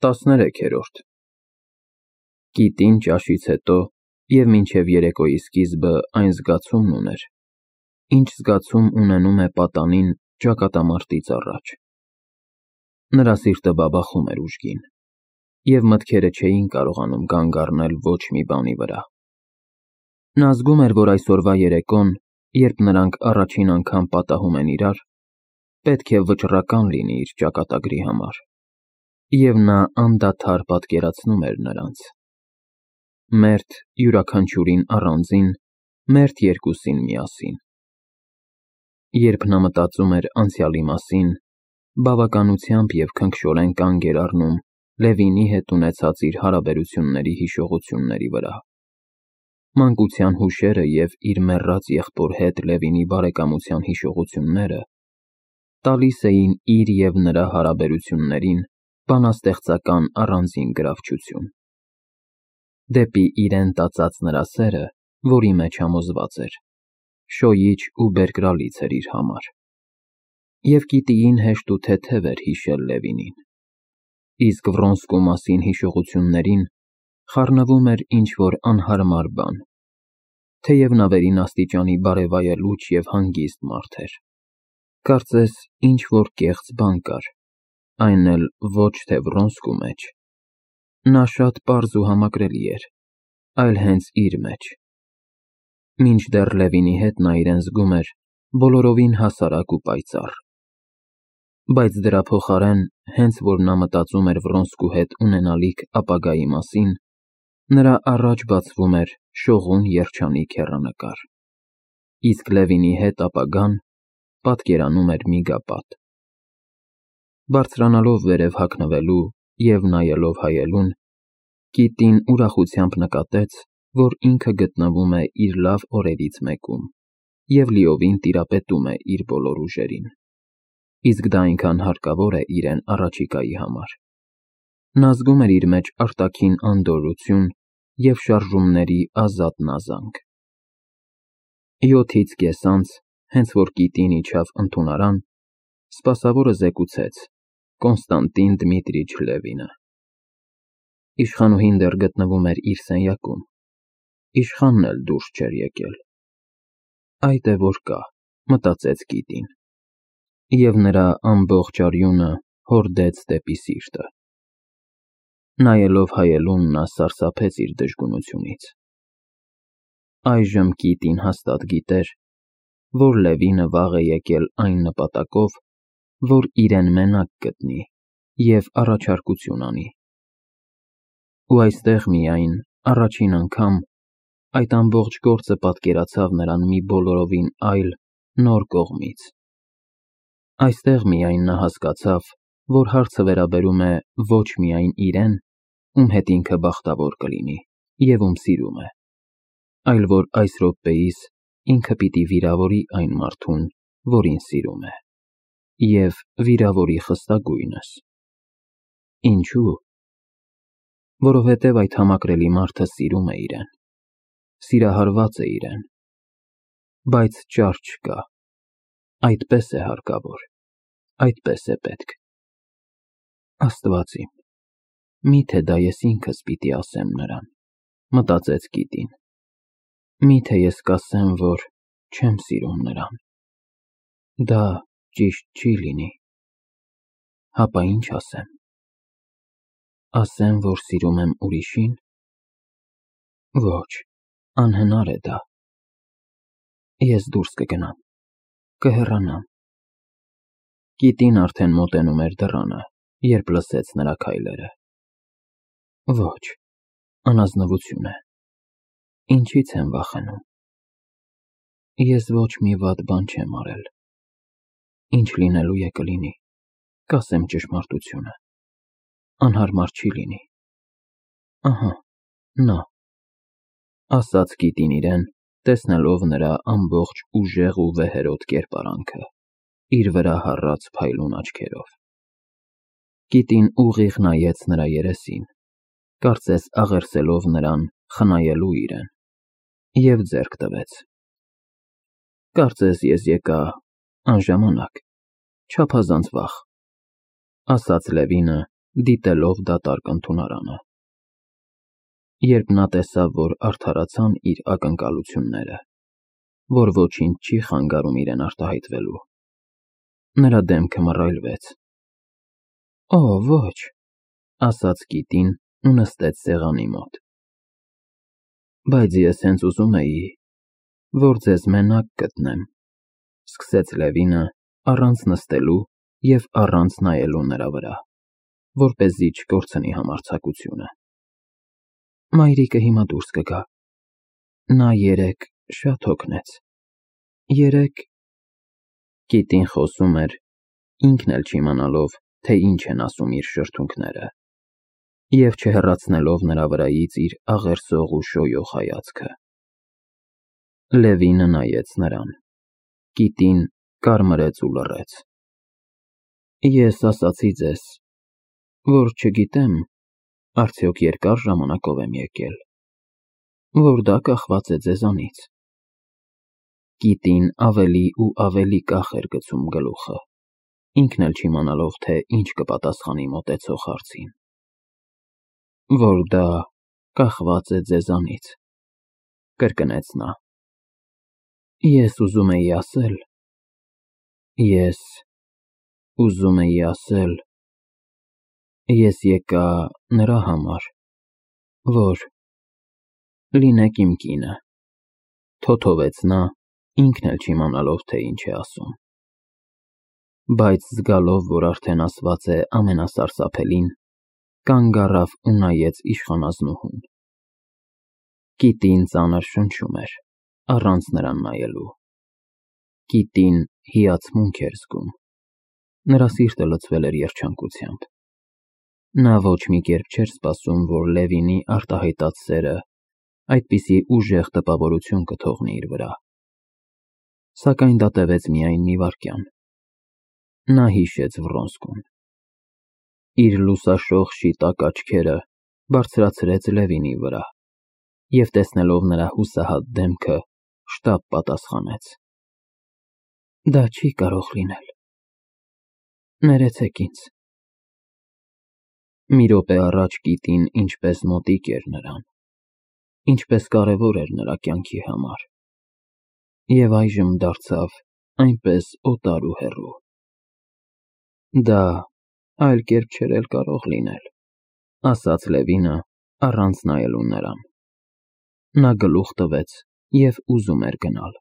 13-րդ Կիտին ճաշից հետո և մինչև երեկոյի սկիզբը այն զգացումն ուներ, ինչ զգացում ունենում է պատանին ճակատամարտից առաջ։ Նրա սիրտը բաբախում էր ուժգին, և մտքերը չէին կարողանում կանգ առնել ոչ մի բանի վրա։ Նա զգում էր, որ այսօրվա երեկոն, երբ նրանք առաջին անգամ պատահում են իրար, պետք է վճռական լինի իր ճակատագրի համար, և նա անդադար պատկերացնում էր նրանց. մերթ յուրաքանչյուրին առանձին, մերթ երկուսին միասին։ Երբ նա մտածում էր անցյալի մասին, բավականությամբ և քնքշորեն կանգ էր առնում Լևինի հետ ունեցած իր հարաբերությունների հիշողությունների վրա։ Մանկության հուշերը և իր մեռած եղբոր հետ Լևինի բարեկամության հիշողությունները տալիս էին իր և նրա հարաբերություններին բանաստեղծական առանձին գրավչություն։ Դեպի իրեն տածած նրա սերը, որի մեջ համոզված էր, շոյիչ ու բերկրալից էր իր համար։ Եվ Կիտիին հեշտ ու թեթև էր հիշել Լևինին, իսկ Վրոնսկու մասին հիշողություններին խառնվում էր ինչ-որ անհարմար բան, թեև նա վերին աստիճանի բարեվայելուչ և հանգիստ մարդ էր։ Կարծես ինչ-որ կեղծ բան կար, այն էլ ոչ թե Վրոնսկու մեջ։ Նա շատ պարզ ու համակրելի էր, այլ հենց իր մեջ։ Մինչդեռ Լևինի հետ նա իրեն զգում էր բոլորովին հասարակ ու պայծառ։ Բայց դրա փոխարեն, հենց որ նա մտածում էր Վրոնսկու հետ ունենալիք ապագայի մասին, նրա առաջ բացվում էր շողուն երջանիկ հեռանկար, իսկ Լևինի հետ ապագան պատկերանում էր միգապատ։ Բարձրանալով վերև հագնվելու և նայելով հայելուն, Կիտին ուրախությամբ նկատեց, որ ինքը գտնվում է իր լավ օրերից մեկում և լիովին տիրապետում է իր բոլոր ուժերին, իսկ դա այնքան հարկավոր է իրեն առաջիկայի համար։ Նա զգում էր իր մեջ արտաքին անդորրություն և շարժումների ազատ նազանք։ 7-ից կես անց, հենց որ Կիտին իջավ ընդունարան, սպասավորը զեկուցեց. Կոնստանտին Դմիտրիչ Լևինը։ Իշխանուհին դեռ գտնվում էր իր սենյակում, իշխանն էլ դուրս չէր եկել։ Այդ է որ կա, մտածեց Կիտին, և նրա ամբողջ արյունը հորդեց դեպի սիրտը։ Նայելով հայելուն, նա սարսափեց իր դժգունությունից։ Այժմ Կիտին հաստատ գիտեր, որ Լևինը վաղ է եկել այն նպատակով, որ իրեն մենակ գտնի և առաջարկություն անի։ Ու այստեղ միայն, առաջին անգամ, այդ ամբողջ գործը պատկերացավ նրան մի բոլորովին այլ, նոր կողմից։ Այստեղ միայն նա հասկացավ, որ հարցը վերաբերում է ոչ միայն իրեն, ում հետ ինքը բախտավոր կլինի և ում սիրում է, այլ որ այս րոպեիս ինքը պիտի վիրավորի այն մարդուն, որին սիրում է, և վիրավորի խստագույնս։ Ինչու՞։ Որովհետև այդ համակրելի մարդը սիրում է իրեն, սիրահարված է իրեն, բայց ճար չկա։ Այդպես է հարկավոր, այդպես է պետք։ Աստված իմ, միթե դա ես ինքս պիտի ասեմ նրան, մտածեց Կիտին։ Միթե ես կասեմ, որ չեմ սիրում նրան։ Դա ճիշտ չի լինի։ Հապա ինչ ասեմ։ Ասեմ, որ սիրում եմ ուրիշին։ Ոչ, անհնար է դա։ Ես դուրս կգնամ, կհեռանամ։ Կիտին արդեն մոտենում էր դռանը, երբ լսեց նրա քայլերը։ Ոչ, անազնվություն է։ Ինչից եմ վախենում։ Ես ոչ մի վատ բան չեմ արել։ Ինչ լինելու է կլինի, կասեմ ճշմարտությունը։ Անհարմար չի լինի։ Ահա, նա, ասաց Կիտին իրեն, տեսնելով նրա ամբողջ ուժեղ ու վեհերոտ կերպարանքը, իր վրա հառած փայլուն աչքերով։ Կիտին ուղիղ նայեց նրա երեսին, կարծես աղերսելով նրան խնայելու իրեն, և ձեռք տվեց։ Կարծես ես եկա անժամանակ, չափազանց վաղ, ասաց Լևինը դիտելով դատարկ ընդունարանը։ Երբ նա տեսավ, որ արդարացան իր ակնկալությունները, որ ոչինչ չի խանգարում իրեն արտահայտվելու, նրա դեմքը մռայլվեց։ «Օ, ոչ», ասաց Կիտին ու նստեց սեղանի մոտ։ «Բայց ես հենց ուզում էի, որ ձեզ մենակ գտնեմ», սկսեց Լևինը առանց նստելու և առանց նայելու նրա վրա, որպեսզի չկորցնի համարձակությունը։ «Մայրիկը հիմա դուրս կգա։ Նա երեկ շատ հոգնեց։ Երեկ…» Կիտին խոսում էր, ինքն էլ չիմանալով, թե ինչ են ասում իր շրթունքները, և չհեռացնելով նրա վրայից իր աղերսող ու շոյող հայացքը։ Լևինը նայեց նրան։ Կիտին կարմրեց ու լռեց։ «Ես ասացի ձեզ, որ չգիտեմ, արդյոք երկար ժամանակով եմ եկել, որ դա կախված է ձեզանից»։ Կիտին ավելի ու ավելի կախ էր գցում գլուխը, ինքն էլ չիմանալով, թե ինչ կպատասխանի մոտեցող հարցին։ «Որ դա կախված է ձեզանից», կրկնեց նա։ «Ես ուզում էի ասել, ես եկա նրա համար, որ լինեք իմ կինը», թոթովեց նա, ինքն էլ չիմանալով, թե ինչ է ասում։ Բայց զգալով, որ արդեն ասված է ամենասարսափելին, կանգ առավ ու նայեց իշխանազնուհուն։ Կիտին ծանր շնչում էր, առանց նրան նայելու։ Կիտին հիացմունք էր զգում։ Նրա սիրտը լցվել էր երջանկությամբ։ Նա ոչ մի կերպ չէր սպասում, որ Լևինի արտահայտած սերը այդպիսի ուժեղ տպավորություն կթողնի իր վրա։ Սակայն դա տևեց միայն մի վայրկյան։ Նա հիշեց Վռոնսկուն։ Իր լուսաշող շիտակ աչքերը բարձրացրեց Լևինի վրա և տեսնելով նրա հուսահատ դեմքը, շտապ պատասխանեց. «Դա չի կարող լինել։ Ներեցեք ինձ»։ Մի րոպե առաջ Կիտին ինչպես մոտիկ էր նրան, ինչպես կարևոր էր նրա կյանքի համար, և այժմ դարձավ այնպես օտար ու հեռու։ «Դա այլ կերպ չէր էլ կարող լինել», ասաց Լևինը, առանց նայելու նրան։ Նա գլուխ տվեց և ուզում էր գնալ։